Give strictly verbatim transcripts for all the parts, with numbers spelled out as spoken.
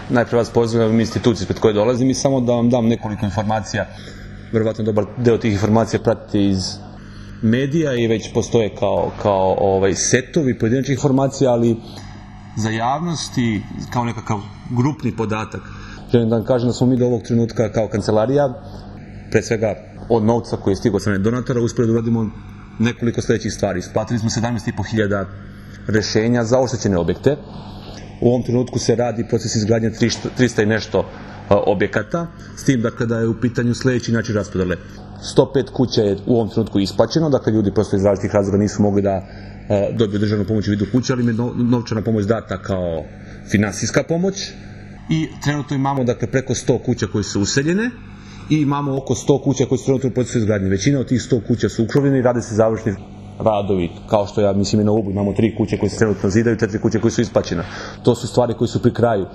najpre vas pozdravljam instituciju pred koje dolazim i samo da vam dam nekoliko informacija. Verovatno dobar deo tih informacija pratite iz medija i već postoje kao, kao ovaj, setovi pojedinačnih informacija, ali za javnost i kao nekakav grupni podatak. Želim da vam kažem da smo mi do ovog trenutka kao kancelarija, pre svega od novca koji je stigao od strane donatora, uspeli da uradimo nekoliko sledećih stvari. Isplatili smo sedamnaest i po hiljada rešenja za oštećene objekte. U ovom trenutku se radi proces izgradnje trista i nešto objekata, s tim dakle da je u pitanju sledeći način raspodele. sto pet kuća je u ovom trenutku isplaćeno, dakle ljudi prosto iz različitih razloga nisu mogli da dobiju državnu pomoć u vidu kuća, ali im je novčana pomoć data kao finansijska pomoć. I trenutno imamo dakle preko sto kuća koje su useljene i imamo oko sto kuća koje su trenutno u procesu izgradnje. Većina od tih sto kuća su ukrovljene i rade se završni radovi, kao što ja mislim i na Ubu imamo tri kuće koje se trenutno zidaju, četiri kuće koje su isplaćene. To su stvari koje su pri kraju.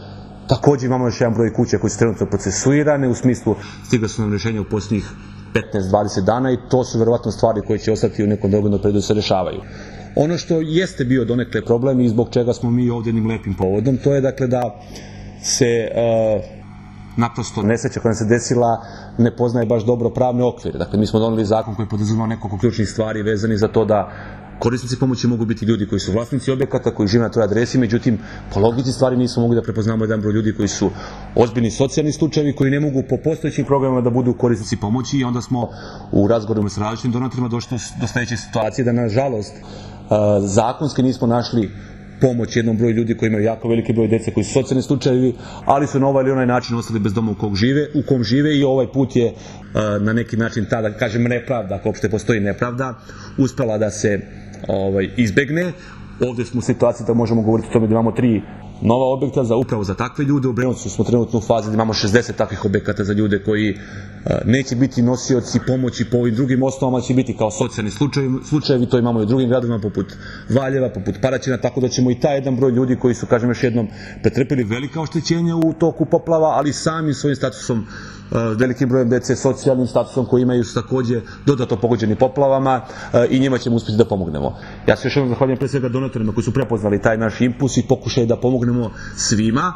Takođe imamo još jedan broj kuća koje su trenutno procesuirane, u smislu stigla su nam rešenja u posljednjih petnaest do dvadeset dana i to su verovatno stvari koje će ostati u nekom doglednom periodu da se rešavaju. Ono što jeste bio donekle problem i zbog čega smo mi ovdje jednim lepim povodom, to je dakle da se naprosto nesreća koja se desila ne poznaje baš dobro pravne okvire. Dakle, mi smo doneli zakon koji podrazumeva nekoliko ključnih stvari vezani za to da korisnici pomoći mogu biti ljudi koji su vlasnici objekata, koji žive na toj adresi, međutim, po logici stvari nismo mogli da prepoznamo jedan broj ljudi koji su ozbiljni socijalni slučajevi, koji ne mogu po postojećim programima da budu korisnici pomoći i onda smo u razgovorima sa različitim donatorima došli do sledeće situacije da, nažalost, zakonski nismo našli pomoć jednom broju ljudi koji imaju jako veliki broj dece koji su socijalni slučajevi, ali su na ovaj ili onaj način ostali bez doma u kom žive, u kom žive i ovaj put je na neki način ta, da kažem, nepravda, ako uopšte postoji nepravda, uspela da se ovaj, izbegne. Ovde smo u situaciji da možemo govoriti o tome da imamo tri nova objekta za upravo za takve ljude. U Obrenovcu smo trenutno u fazi da imamo šezdeset takvih objekata za ljude koji neće biti nosioci pomoći po ovim drugim osnovama, će biti kao socijalni slučajevi, to imamo i u drugim gradovima poput Valjeva, poput Paraćina, tako da ćemo i taj jedan broj ljudi koji su, kažem još jednom, pretrpeli velika oštećenja u toku poplava, ali samim svojim statusom, velikim brojem dece, socijalnim statusom koji imaju takođe dodatno pogođeni poplavama i njima ćemo uspjeti da pomognemo. Ja se još jednom zahvaljujem pre svega donatorima koji su prepoznali taj naš impuls i pokušaju da pomognemo svima.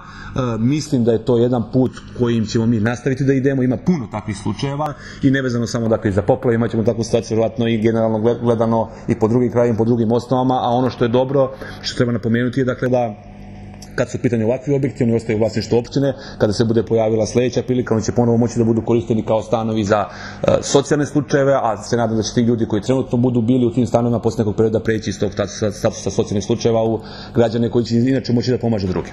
Mislim da je to jedan put kojim ćemo mi nastaviti da idemo, ima puno takvih slučajeva i nevezano samo dakle za poplave, imat ćemo takvu situaciju vjerojatno i generalno gledano i po drugim krajima, po drugim osnovama, a ono što je dobro, što treba napomenuti je dakle da kad su u pitanju ovakvi objekti, oni ostaju u vlasništvu opštine, kada se bude pojavila sledeća prilika, oni će ponovo moći da budu koristeni kao stanovi za socijalne slučajeve, a se nadam da će ti ljudi koji trenutno budu bili u tim stanovima posle nekog perioda preći iz tog statusa socijalnih slučajeva u građane koji će inače moći da pomažu drugim.